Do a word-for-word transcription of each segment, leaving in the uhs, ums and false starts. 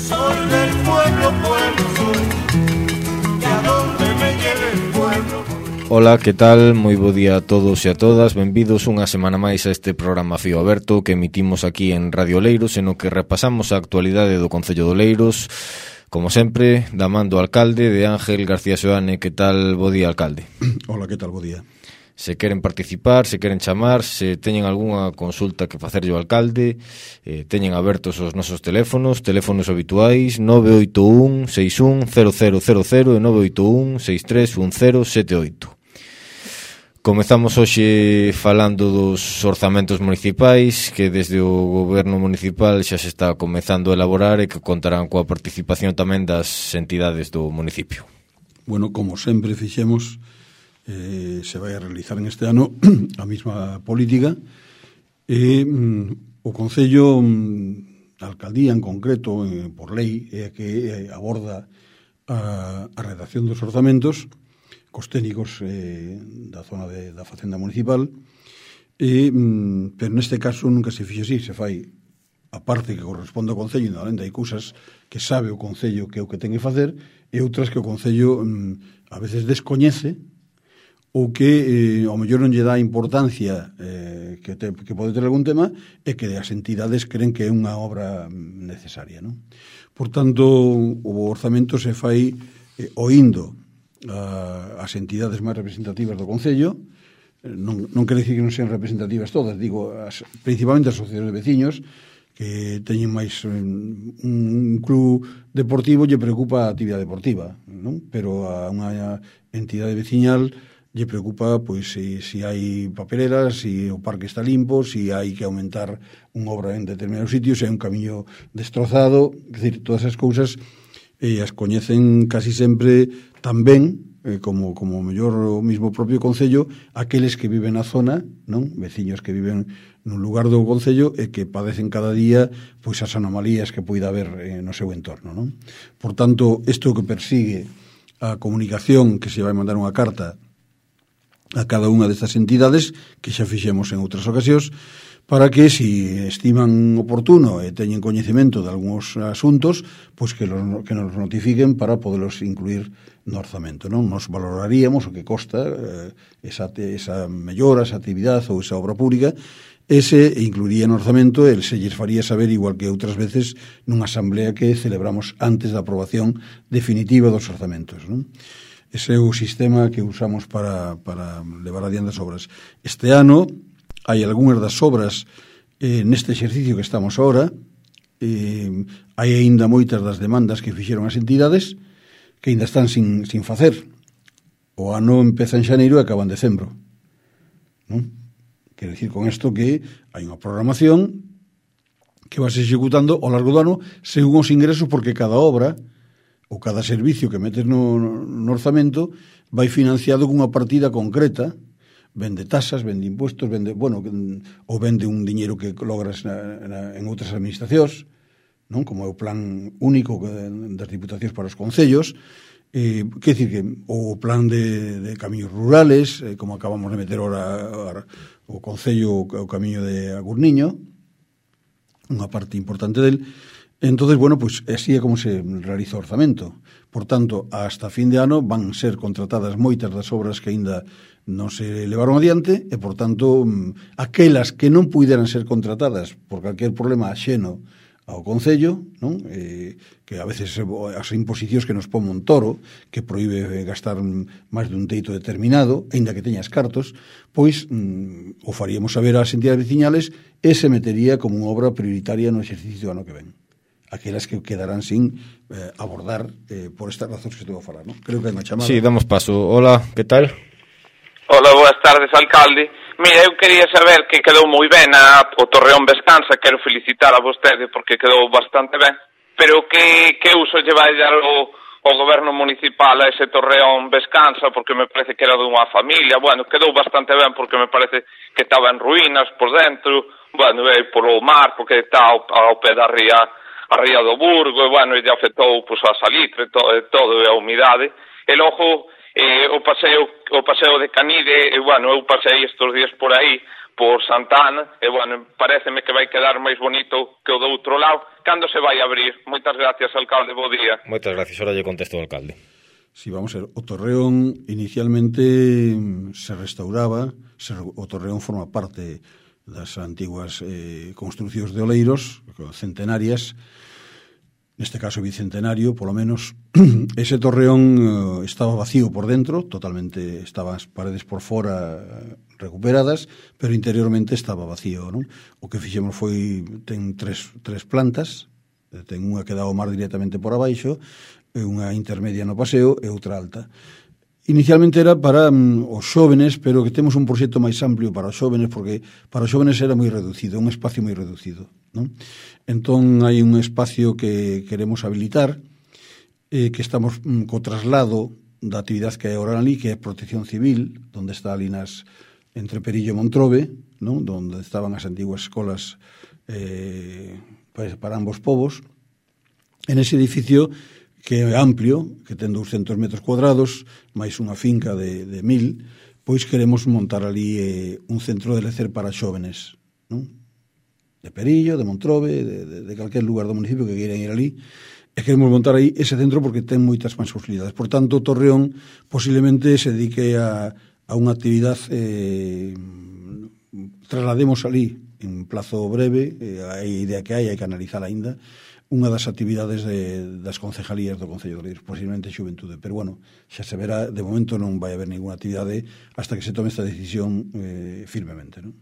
Soy del pueblo, pueblo soy, y a donde me lleve el pueblo. Ola, que tal? Moi bo día a todos e a todas. Benvidos unha semana máis a este programa Fío Aberto que emitimos aquí en Radio Oleiros, en o que repasamos a actualidade do Concello de Oleiros, como sempre, da man do alcalde, de Ángel García Seoane. Que tal? Bo día, alcalde. Hola, que tal? Bo día. Se queren participar, se queren chamar, se teñen algunha consulta que facerlle ao alcalde, eh, teñen abertos os nosos teléfonos, teléfonos habituais nove oito un seis un cero cero cero cero e nove oito un seis tres un cero sete oito. Comezamos hoxe falando dos orzamentos municipais que desde o goberno municipal xa se está comezando a elaborar e que contarán coa participación tamén das entidades do municipio. Bueno, como sempre fixemos, eh, se vai a realizar en este ano a mesma política e mm, o Concello, mm, a alcaldía en concreto, eh, por lei, é a que eh, aborda a, a redacción dos orzamentos cos técnicos eh, da zona de, da Facenda Municipal e, mm, pero neste caso nunca se fixe así, se fai a parte que corresponde ao Concello, e alén hai cousas que sabe o Concello que é o que ten que facer e outras que o Concello mm, a veces descoñece ou que eh, ao mellor non lle dá importancia eh, que, te, que pode ter algún tema e que as entidades creen que é unha obra necesaria, non? Por tanto, o orzamento se fai eh, oindo a, as entidades máis representativas do Concello. Non, non quere dicir que non sean representativas todas, digo, as, principalmente as sociedades de veciños que teñen máis um, un club deportivo lle preocupa a actividade deportiva, non? Pero a unha entidade veciñal lle preocupa pois se si, si hai papeleras, se si o parque está limpo, se si hai que aumentar unha obra en determinados sitios, se hai un camiño destrozado, é dicir, todas as cousas e as coñecen casi sempre tan ben eh, como, como mellor o mismo propio Concello, aqueles que viven na zona, non? Veciños que viven nun lugar do Concello e que padecen cada día pois as anomalías que poida haber eh, no seu entorno, non? Por tanto, isto que persigue a comunicación, que se vai mandar unha carta a cada unha destas entidades, que xa fixemos en outras ocasións, para que, si estiman oportuno e teñen coñecemento de algúns asuntos, pois que, los, que nos notifiquen para podelos incluir no orzamento, non? Nos valoraríamos o que costa eh, esa, esa mellora, esa actividade ou esa obra pública, ese incluiría no orzamento e se lles faría saber, igual que outras veces nunha asamblea que celebramos antes da aprobación definitiva dos orzamentos, non? Ese é o sistema que usamos para, para levar adiante as obras. Este ano hai algunhas das obras eh, neste exercicio que estamos ahora, eh, hai aínda moitas das demandas que fixeron as entidades que aínda están sin, sin facer. O ano empeza en xaneiro e acaba en decembro, non? Quero dicir con isto que hai unha programación que vai se executando ao largo do ano según os ingresos, porque cada obra ou cada servicio que metes no, no orzamento vai financiado cunha partida concreta. Vende tasas, vende impuestos, vende, bueno, ou vende un diñeiro que logras na, na, en outras administracións, non? Como é o plan único das diputacións para os concellos, eh, que dicir que o plan de, de camiños rurales, eh, como acabamos de meter ora o concello, o camiño de Agurniño, unha parte importante del. Entonces, bueno, pues así é como se realiza o orzamento. Por tanto, hasta fin de ano van ser contratadas moitas das obras que aínda non se levaron adiante e, por tanto, aquelas que non puderan ser contratadas por calquer problema axeno ao Concello, non? Eh, que a veces as imposicións que nos pon Montoro, que proíbe gastar máis dun teito determinado, aínda que teñas cartos, pois mm, o faríamos saber ás entidades veciñales e se metería como unha obra prioritaria no exercicio do ano que ven. Aquelas que quedarán sin eh, abordar eh, por estas razóns que estou a falar, non? Creo que hai unha chamada. Sí, damos paso. Hola, que tal? Hola, boas tardes, alcalde. Mira, eu quería saber que quedou moi ben a, o Torreón Vescansa, quero felicitar a vostede porque quedou bastante ben, pero que, que uso lle vai dar o, o goberno municipal a ese Torreón Vescansa, porque me parece que era dunha familia. Bueno, quedou bastante ben porque me parece que estaba en ruínas por dentro, bueno, e polo mar, porque está ao, ao pé da ría, a ría do Burgo, e bueno, e lle afectou pues, a salitre, todo, todo e a humidade, e logo eh, o paseo o paseo de Canide, e bueno, eu pasei estes días por aí, por Santana, e, bueno, pareceme que vai quedar máis bonito que o do outro lado. Cando se vai abrir? Moitas gracias, alcalde, bo día. Moitas gracias, ahora lle contesto ao alcalde. Sí, vamos a ver, o Torreón inicialmente se restauraba, se, o Torreón forma parte das antiguas eh, construcións de oleiros, centenarias, neste caso bicentenario, polo menos. Ese Torreón eh, estaba vacío por dentro, totalmente, estaban as paredes por fora recuperadas, pero interiormente estaba vacío, non? O que fixemos foi, ten tres, tres plantas, ten unha que dá ao mar directamente por abaixo, unha intermedia no paseo e outra alta. Inicialmente era para um, os xóvenes, pero que temos un proxecto máis amplio para os xóvenes, porque para os xóvenes era moi reducido, un espacio moi reducido, non? Entón hai un espacio que queremos habilitar, eh, que estamos um, co traslado da actividade que hai agora ali, que é protección civil, onde está ali nas, entre Perillo e Montrobe, non? Donde estaban as antiguas escolas eh, para ambos povos. En ese edificio que é amplio, que ten douscentos metros cuadrados, máis unha finca de, de mil, pois queremos montar ali eh, un centro de lecer para xóvenes, non? De Perillo, de Montrobe, de, de, de calquer lugar do municipio que queiran ir ali, e queremos montar aí ese centro porque ten moitas máis posibilidades. Por tanto, Torreón posiblemente se dedique a, a unha actividade, eh, traslademos ali en plazo breve, eh, a idea que hai, hai que analizar aínda, unha das actividades de, das concejalías do Concello de Oleiros, posiblemente Xuventude, pero bueno, xa se verá, de momento non vai haber ninguna actividade hasta que se tome esta decisión eh, firmemente, non?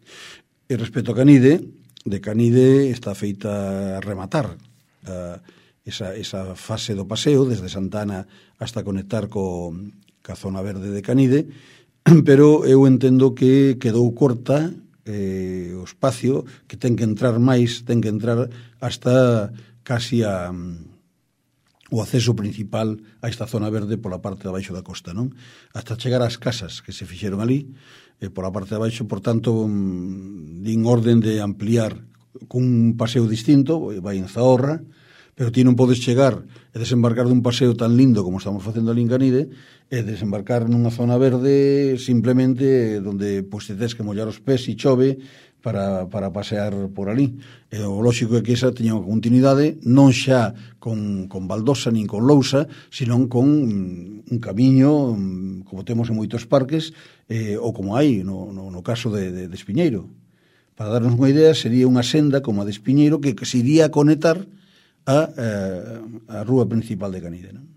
E respecto a Canide, de Canide está feita a rematar a, esa, esa fase do paseo, desde Santana hasta conectar co, ca zona verde de Canide, pero eu entendo que quedou corta eh, o espacio, que ten que entrar máis, ten que entrar hasta casi a, o acceso principal a esta zona verde pola parte de abaixo da costa, non? Hasta chegar ás casas que se fixeron ali, eh, pola parte de abaixo, por tanto, um, din orden de ampliar cun paseo distinto, vai en Zahorra, pero ti non podes chegar e desembarcar dun paseo tan lindo como estamos facendo ali en Canide e desembarcar nunha zona verde simplemente donde pois, te tens que mollar os pés e chove para, para pasear por ali. E o lóxico é que esa teña unha continuidade non xa con, con baldosa nin con lousa, senón con un camiño como temos en moitos parques eh, ou como hai no, no, no caso de, de, de Espiñeiro. Para darnos unha idea, sería unha senda como a de Espiñeiro que, que se iría a conectar a, a, a rúa principal de Canide, non?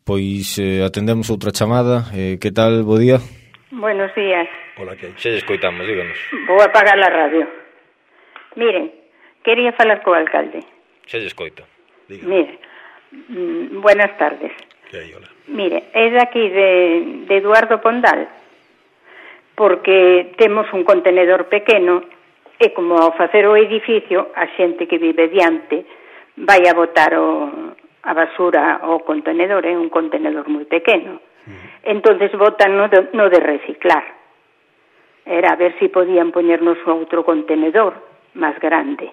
Pois eh, atendemos outra chamada. Eh, que tal, bo día? Buenos días. Hola, que hai? Xa lle escoitamos, díganos. Vou apagar a radio. Miren, quería falar co alcalde. Xa lle escoito. Dígame. Mire, mm, buenas tardes. Que hai, hola. Mire, é de aquí de, de Eduardo Pondal, porque temos un contenedor pequeno e como ao facer o edificio, a xente que vive diante vai a botar o, a basura ao contenedor, é un contenedor moi pequeno. Uh-huh. Entonces botan no de, no de reciclar. Era a ver si podían poñernos outro contenedor máis grande.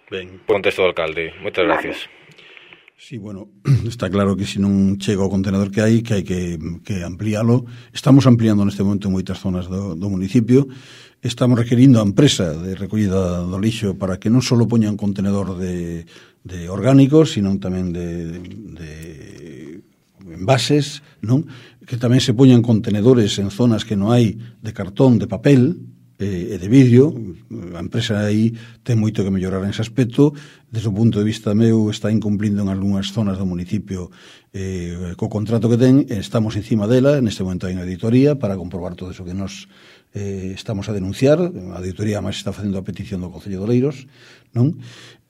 Ben. Contesto do alcalde. Moitas Vale. gracias. Sí, bueno, está claro que se non chega o contenedor que hai, que hai que, que ampliálo. Estamos ampliando neste momento en moitas zonas do, do municipio. Estamos requerindo a empresa de recollida do lixo para que non só poña un contenedor de, de orgánicos, sino tamén de, de envases, non? Que tamén se poñan contenedores en zonas que non hai de cartón, de papel e de vidrio. A empresa aí ten moito que mellorar en ese aspecto. Desde o punto de vista meu está incumplindo en algunhas zonas do municipio eh, co contrato que ten. Estamos encima dela, neste momento hai unha auditoría para comprobar todo eso que nos eh, estamos a denunciar. A auditoría máis está facendo a petición do Concello de Oleiros, non?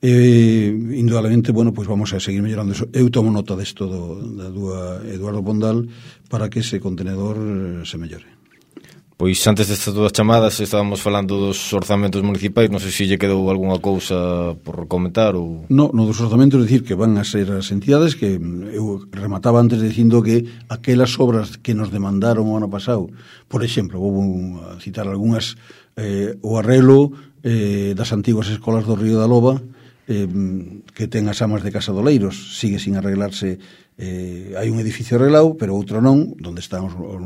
Eh, indudablemente, bueno, pois vamos a seguir mellorando eso. Eu tomo nota desto do, da dúa Eduardo Pondal para que ese contenedor se mellore. Pois antes destas dúas chamadas estábamos falando dos orzamentos municipais, non sei se lle quedou algunha cousa por comentar ou... No, no dos orzamentos, é dicir que van a ser as entidades que eu remataba antes dicindo que aquelas obras que nos demandaron o ano pasado, por exemplo, vou a citar algunhas, eh, o arrelo eh, das antiguas escolas do Río da Loba, eh, que ten as amas de Casa Doleiros, sigue sin arreglarse. Eh, hai un edificio arreglado, pero outro non, onde están os, os,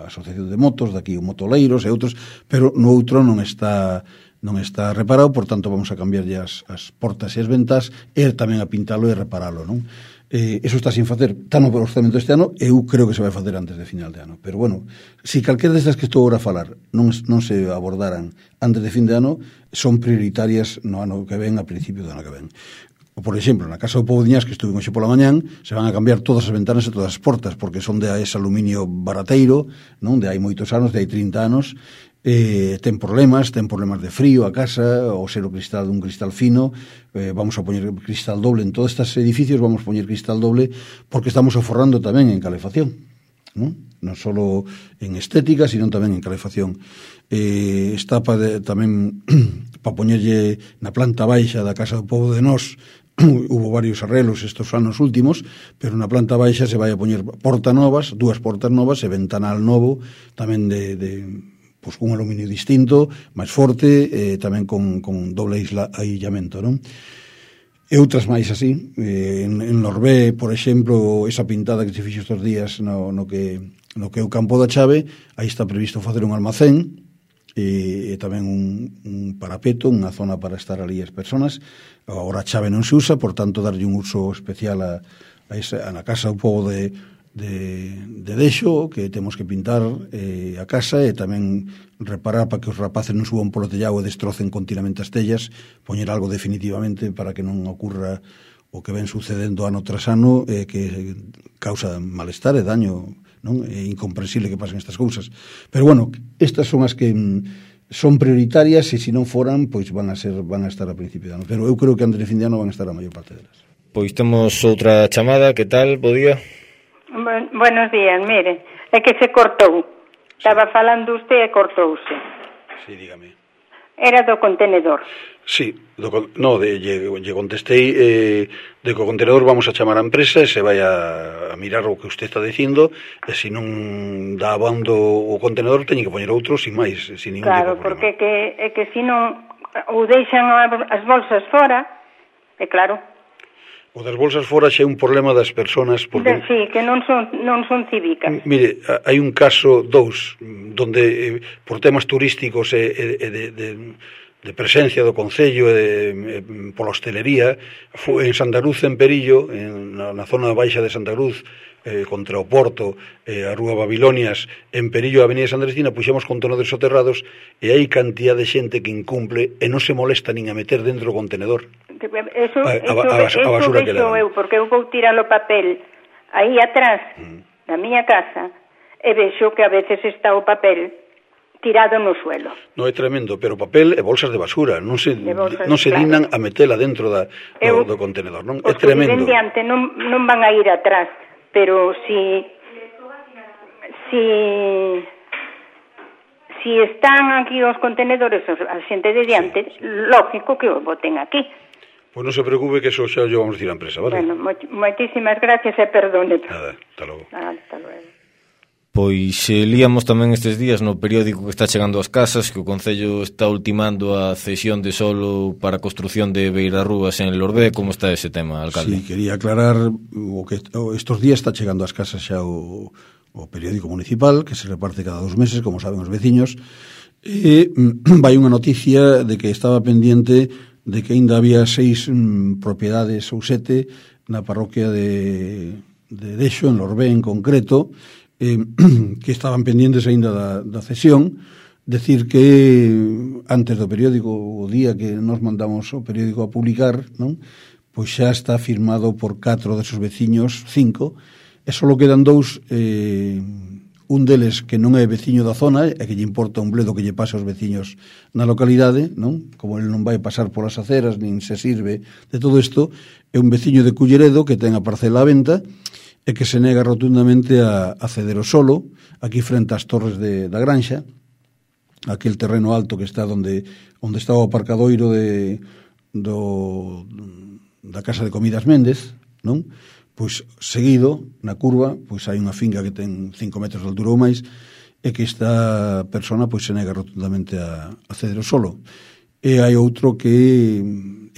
a Asociación de Motos, daqui o Motoleiros e outros, pero no outro non está non está reparado, por tanto vamos a cambiar as, as portas e as ventas e tamén a pintalo e reparalo, non? Eh, eso está sin facer, está no orzamento este ano, eu creo que se vai facer antes de final de ano, pero bueno, se calquera destas que estou agora a falar non, non se abordaran antes de fin de ano, son prioritarias no ano que ven, a principio do ano que ven. Por exemplo, na Casa do Pobo de Iñás, que estuve hoxe pola mañán, se van a cambiar todas as ventanas e todas as portas, porque son de ese aluminio barateiro, non? De hai moitos anos, de hai trinta anos, eh, ten problemas, ten problemas de frío a casa, ou ser o cristal dun cristal fino, eh, vamos a poñer cristal doble en todos estes edificios, vamos a poñer cristal doble, porque estamos aforrando tamén en calefacción, non? Non só en estética, sino tamén en calefacción. Eh, está pa de, tamén para poñerlle na planta baixa da Casa do Pobo de Nós, hubo varios arreglos estos anos últimos, pero na planta baixa se vai a poñer porta novas, dúas portas novas e ventanal novo, tamén de, de pois, un aluminio distinto, máis forte, eh, tamén con, con doble isla, aillamento, non? E outras máis así, eh, en, en Norbé, por exemplo, esa pintada que se fixo estes días no, no que no que é o Campo da Chave, aí está previsto facer un almacén, e, e tamén un, un parapeto, unha zona para estar ali as persoas. Agora a chave non se usa, por tanto darlle un uso especial a, a, esa, a na Casa do Pobo de, de, de Deixo, que temos que pintar eh, a casa e tamén reparar para que os rapaces non suban polo tellado e destrocen continuamente as tellas, poñer algo definitivamente para que non ocurra o que ven sucedendo ano tras ano, eh, que causa malestar e daño, non? É incomprensible que pasen estas cousas. Pero bueno, estas son as que mm, son prioritarias e se non foran, pois van a ser van a estar a principio de ano. Pero eu creo que antes de fin de ano van a estar a maior parte delas. Pois temos outra chamada, que tal? Bo día. Bu- buenos días, mire, é que se cortou. Estaba falando usted e cortouse. Sí, dígame. Era do contenedor. Sí, do, no, de, lle, lle contestei eh, de que o contenedor vamos a chamar a empresa e se vai a, a mirar o que usted está dicindo e se non dá abando o contenedor teñe que poñer outro sin máis, sin ningún Claro, tipo de porque problema. que, é que se non ou deixan as bolsas fora, é claro. O das bolsas fora xa é un problema das persoas porque... Sí, que non son, non son cívicas. Mire, hai un caso, dous, donde eh, por temas turísticos e, e, e de, de, de presencia do Concello e de, e, pola hostelería, foi en Santa Cruz, en Perillo, en, na, na zona baixa de Santa Cruz, eh, contra o Porto, eh, a Rúa Babilonias, en Perillo, a Avenida Santa Cristina, puxemos contenedores soterrados e hai cantidad de xente que incumple e non se molesta nin a meter dentro do contenedor. Eso, A- a- eso, a bas- a eso basura que vexo levan. eu, porque eu vou tirar o papel aí atrás Mm. da miña casa e vexo que a veces está o papel tirado no suelo. Non é tremendo, pero papel e bolsas de basura, non se, De bolsas, non se claro. dignan a metela dentro da, Eu- do, do contenedor, non? Os É que viven tremendo. diante non, non van a ir atrás, pero si si si están aquí os contenedores os- a xente de diante, Sí, sí. lógico que os boten aquí. Pois non se preocupe que eso xa yo vamos a decir a empresa, vale? Bueno, mo- moitísimas gracias e perdone. Nada, hasta logo. Ah, hasta luego. Pois eh, líamos tamén estes días no periódico que está chegando ás casas que o Concello está ultimando a cesión de solo para a construción de beirarrúas en Lorbé. Como está ese tema, alcalde? Sí, quería aclarar o que o estos días está chegando ás casas xa o, o periódico municipal que se reparte cada dos meses, como saben os veciños, e mm, vai unha noticia de que estaba pendiente de que ainda había seis mm, propiedades ou sete na parroquia de, de Deixo, en Lorbé en concreto, eh, que estaban pendientes aínda da, da cesión. Decir que antes do periódico, o día que nos mandamos o periódico a publicar, non? Pois xa está firmado por catro desos veciños, cinco, e só quedan dous, eh, un deles que non é veciño da zona e que lle importa un bledo que lle pase aos veciños na localidade, non? Como ele non vai pasar polas aceras nin se sirve de todo isto, é un veciño de Culleredo que ten a parcela a venta e que se nega rotundamente a, a ceder o solo, aquí frente ás torres de, da Granxa, aquel terreno alto que está onde onde está o aparcadoiro de do da Casa de Comidas Méndez, non? Pois seguido, na curva, pois hai unha finca que ten cinco metros de altura ou máis e que esta persona pois se nega rotundamente a, a ceder o solo. e hai outro que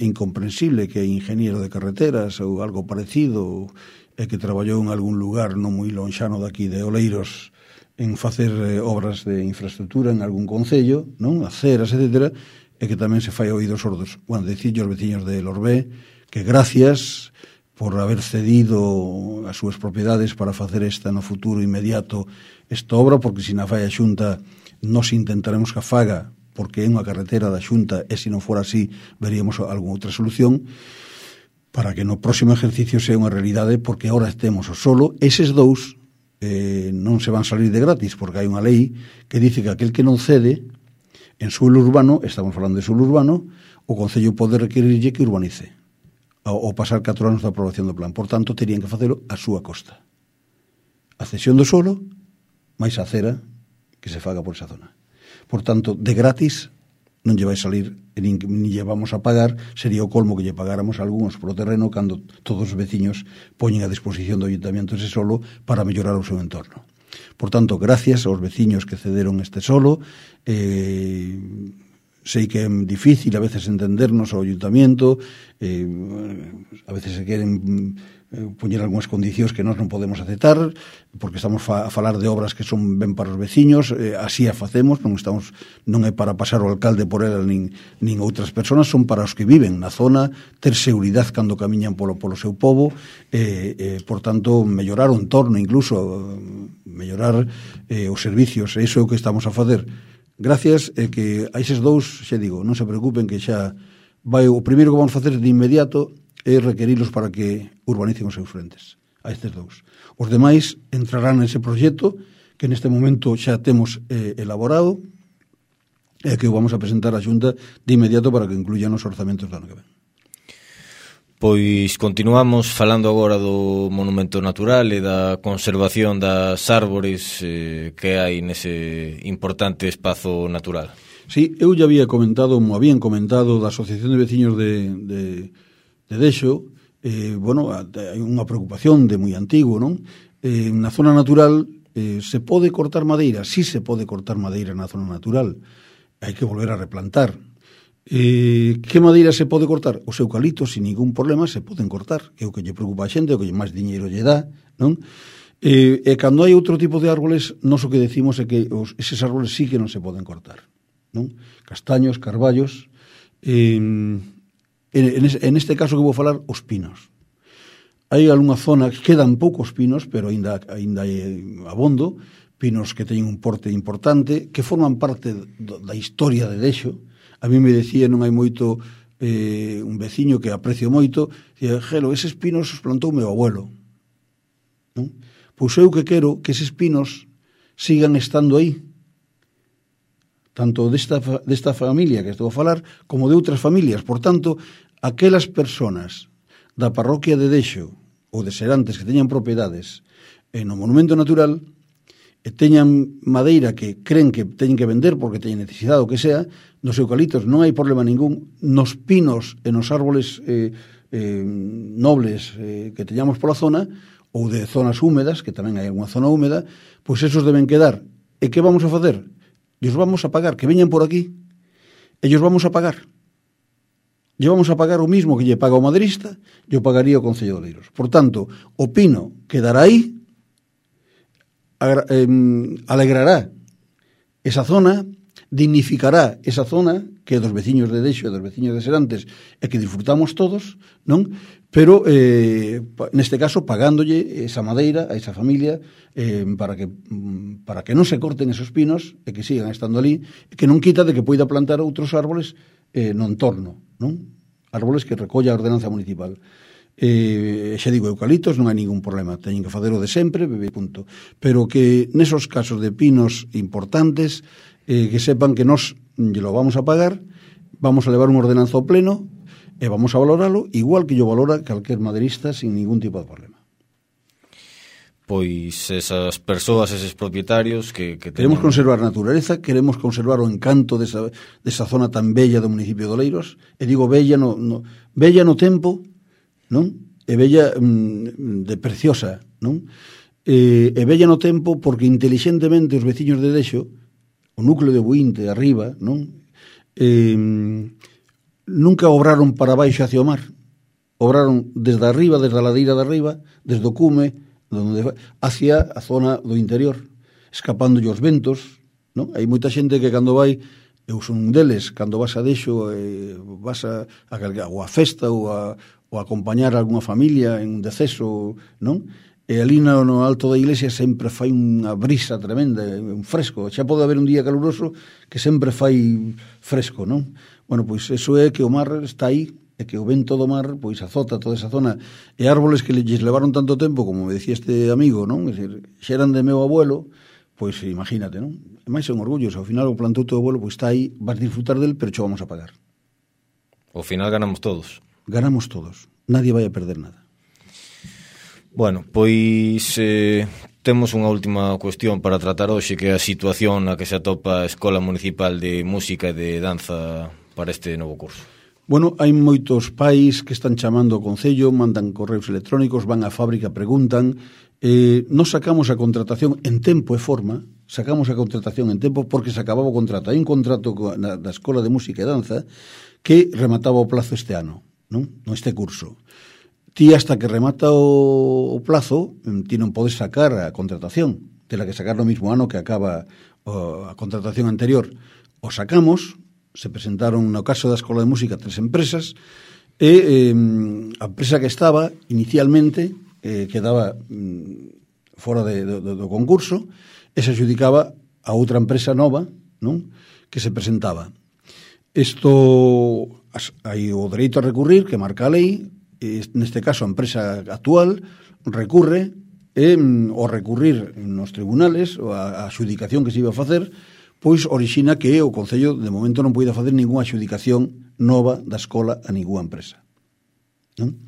é incomprensible, que é ingeniero de carreteras ou algo parecido, e que traballou en algún lugar non moi lonxano daqui de Oleiros en facer eh, obras de infraestructura en algún concello, non? Aceras, etcétera, e que tamén se fai oídos sordos. Bueno, decirlle aos veciños de Lorbé que gracias por haber cedido as súas propiedades para facer esta no futuro inmediato esta obra, porque se na fai a Xunta nos intentaremos que a faga, porque é unha carretera da Xunta, e se non fora así veríamos algunha outra solución, para que no próximo ejercicio sea unha realidade, porque ahora temos o solo. Eses dous eh, non se van salir de gratis, porque hai unha lei que dice que aquel que non cede en suelo urbano, estamos falando de suelo urbano, o Concello pode requerirlle que urbanice ou pasar catro anos da aprobación do plan. Por tanto, terían que facelo a súa costa. A cesión do solo, máis a acera que se faga por esa zona. Por tanto, de gratis non lle vai salir, nin, nin lle vamos a pagar, sería o colmo que lle pagáramos a algúns pro terreno cando todos os veciños poñen a disposición do ayuntamiento ese solo para mellorar o seu entorno. Por tanto, gracias aos veciños que cederon este solo. Eh, sei que é difícil a veces entendernos ao ayuntamiento, eh, a veces se queren eh, poñer algunhas condicións que nós non podemos aceptar, porque estamos fa, a falar de obras que son ben para os veciños, eh, así a facemos, non estamos non é para pasar o alcalde por ela nin, nin outras persoas, son para os que viven na zona, ter seguridade cando camiñan polo, polo seu pobo, eh, eh, por tanto, mellorar o entorno, incluso mellorar eh, os servicios, e iso é o que estamos a facer. Gracias, e que a eses dous, xa digo, non se preocupen que xa vai, o primeiro que vamos facer de inmediato é requerilos para que urbanicen os seus frentes, a estes dous. Os demais entrarán nese proxecto que neste momento xa temos eh, elaborado e que o vamos a presentar á Xunta de inmediato para que incluyan os orzamentos do ano que ven. Pois continuamos falando agora do monumento natural e da conservación das árbores eh, que hai nese importante espazo natural. Sí, eu ya había comentado, mo habían comentado da Asociación de Veciños de, de, de Dexo, eh, bueno, hai unha preocupación de moi antigo, non? Eh, na zona natural eh, se pode cortar madeira, sí se pode cortar madeira na zona natural, hai que volver a replantar. Eh, que madeira se pode cortar? Os eucaliptos, sin ningún problema, se poden cortar, que é o que lle preocupa a xente, o que máis diñeiro lle dá, non? Eh, e cando hai outro tipo de árboles, nós o que decimos é que os, eses árboles sí que non se poden cortar, non? Castaños, carballos, eh, en, en este caso que vou falar, os pinos. Hai algunha zona que quedan poucos pinos, pero ainda, ainda hai abondo, pinos que teñen un porte importante, que forman parte do, da historia de Dexo. A mí me decía, non hai moito, eh, un veciño que aprecio moito, dicía, Gelo, eses pinos os plantou meu abuelo. Non? Pois eu que quero que eses pinos sigan estando aí, tanto desta, desta familia que estou a falar, como de outras familias. Por tanto, aquelas personas da parroquia de Dexo ou de Serantes que teñan propiedades eh, no monumento natural e teñan madeira que creen que teñen que vender porque teñen necesidade ou que sea, nos eucaliptos non hai problema ningún, nos pinos e nos árboles eh, eh, nobles eh, que teñamos pola zona, ou de zonas húmedas, que tamén hai alguna zona húmeda, pois esos deben quedar. E que vamos a facer? Ellos vamos a pagar, que veñan por aquí, ellos vamos a pagar. Lle vamos a pagar o mismo que lle paga o maderista, yo pagaría o Concello de Oleiros. Por tanto, o pino quedará aí, alegrará esa zona, dignificará esa zona que é dos veciños de Dexo e dos veciños de Serantes e que disfrutamos todos, non? Pero eh, neste caso pagándolle esa madeira a esa familia eh, para que para que non se corten esos pinos e que sigan estando ali, e que non quita de que poida plantar outros árboles eh, no entorno, non? Árboles que recolla a ordenanza municipal. Eh, xa digo, eucaliptos non hai ningún problema, teñen que facer o de sempre, punto. Pero que nesos casos de pinos importantes, eh, que sepan que nós lle lo vamos a pagar, vamos a levar un ordenanza ao pleno e vamos a valoralo igual que yo valora calquer maderista sin ningún tipo de problema. Pois esas persoas, eses propietarios que, que queremos teñen... conservar a naturaleza, queremos conservar o encanto desa, desa zona tan bella do municipio de Oleiros, e digo bella no, no, bella no tempo, non? E bella mm, de preciosa, non? E, e bella no tempo porque intelixentemente os veciños de Dexo, o núcleo de Buinte arriba, non? eh, nunca obraron para baixo hacia o mar, obraron desde arriba, desde a ladeira de arriba, desde o cume, donde, hacia a zona do interior, escapando os ventos, non? Hai moita xente que cando vai, eu son un deles, cando vas a deixo, eh, vas a, a, ou a festa ou a, ou a acompañar a alguna familia en un deceso, non? E ali no, no alto da iglesia sempre fai unha brisa tremenda, un fresco, xa pode haber un día caluroso que sempre fai fresco, non? Bueno, pois eso é que o mar está aí, e que o vento do mar pois azota toda esa zona, e árboles que lles levaron tanto tempo, como me decía este amigo, non? É dicir, xa eran de meu abuelo, pois imagínate, non? E máis son orgullos, ao final o plantou teu abuelo, pois está aí, vas disfrutar del, pero cho vamos a pagar. Ao final ganamos todos. Ganamos todos, nadie vai a perder nada. Bueno, pois eh, temos unha última cuestión para tratar hoxe, que é a situación na que se atopa a Escola Municipal de Música e de Danza para este novo curso. Bueno, hai moitos pais que están chamando ao Concello, mandan correos electrónicos, van á fábrica, preguntan. Eh, nos sacamos a contratación en tempo e forma, sacamos a contratación en tempo porque se acababa o contrato. Hai un contrato na, da Escola de Música e Danza que remataba o plazo este ano, non? No este curso. Ti hasta que remata o, o plazo, ti non podes sacar a contratación, tela que sacar no mismo ano que acaba o, a contratación anterior. O sacamos, se presentaron no caso da Escola de Música tres empresas e eh, a empresa que estaba inicialmente eh, quedaba mm, fora de, do, do concurso e se adjudicaba a outra empresa nova, non? Que se presentaba. Isto hai o dereito a recurrir que marca a lei, e neste caso a empresa actual recurre e mm, o recurrir nos tribunales ou a, a adjudicación que se iba a facer pois orixina que o Concello de momento non poida facer ningunha adjudicación nova da escola a ningunha empresa. Non?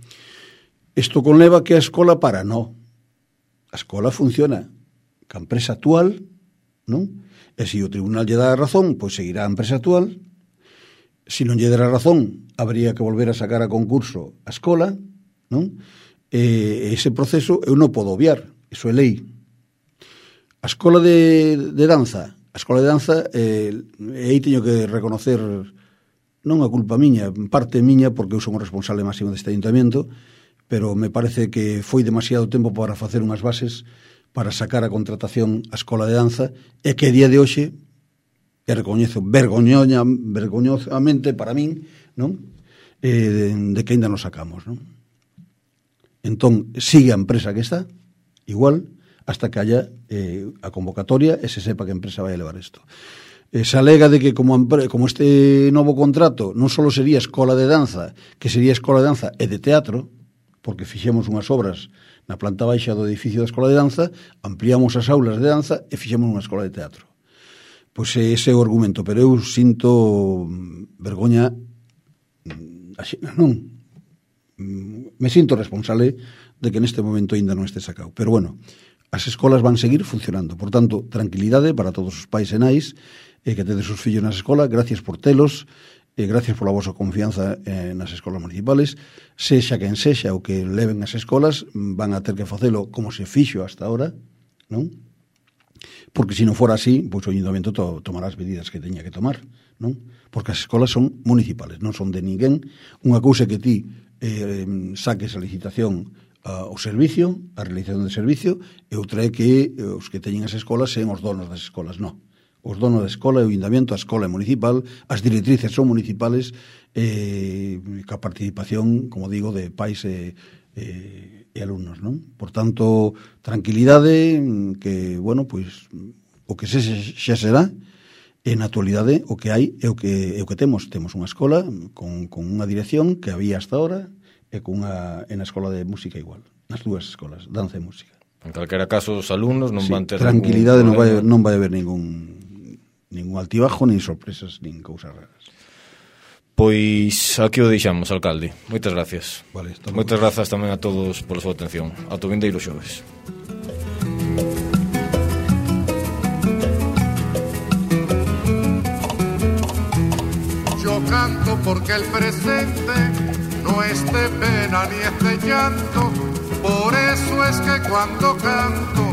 Isto conleva que a escola para, non. A escola funciona ca empresa actual, non? E se o tribunal lle dá a razón, pois seguirá a empresa actual. Se non lle dá a razón, habría que volver a sacar a concurso a escola, non? E ese proceso eu non podo obviar, iso é lei. A escola de, de danza A escola de danza, eh, e aí teño que reconocer non a culpa miña, parte miña, porque eu son o responsable máximo deste ayuntamiento, pero me parece que foi demasiado tempo para facer unhas bases para sacar a contratación a escola de danza, e que a día de hoxe, e recoñezo vergoñoña, vergoñosamente para min, non? Eh, de, de que ainda non sacamos, non? Entón, sigue a empresa que está, igual, hasta que haya eh, a convocatoria e se sepa que a empresa vai a levar isto. Eh, se alega de que como, como este novo contrato non só sería escola de danza, que sería escola de danza e de teatro, porque fixemos unhas obras na planta baixa do edificio da escola de danza, ampliamos as aulas de danza e fixemos unha escola de teatro. Pois ese é o argumento, pero eu sinto vergoña, non, me sinto responsable de que neste momento ainda non este sacado, pero bueno, as escolas van seguir funcionando. Por tanto, tranquilidade para todos os pais e nais eh, que tedes os fillos nas escolas. Gracias por telos, eh, gracias pola vosa confianza eh, nas escolas municipales. Sexa quen sexa o que leven as escolas, van a ter que facelo como se fixo hasta ahora, non? Porque se non fora así, pois o ayuntamiento to, tomará as medidas que teña que tomar, non? Porque as escolas son municipales, non son de ninguén. Unha cousa que ti eh, saques a licitación Uh, o servicio, a realización de servicio, e outra é que os que teñen as escolas sean os donos das escolas. Non. Os donos da escola, o ayuntamiento, a escola é municipal, as directrices son municipales, eh, ca participación, como digo, de pais e, e, e alumnos, non? Por tanto, tranquilidade, que, bueno, pois, o que se xa será, e na actualidade o que hai é o que, é o que temos. Temos unha escola con, con unha dirección que había hasta ahora, e cunha en a escola de música igual, nas dúas escolas, danza e música. En calquera caso, os alumnos non sí, van ter tranquilidade, non vai, non vai haber ningún ningún altibajo, nin sorpresas, nin cousas raras. Pois aquí o deixamos, alcalde. Moitas gracias. Vale, Moitas grazas tamén a todos pola súa atención. Ata o vindeiro xoves. Yo canto porque el presente no es de pena ni es de llanto, por eso es que cuando canto,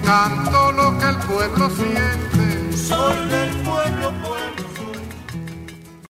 canto lo que el pueblo siente. Soy del pueblo, pueblo.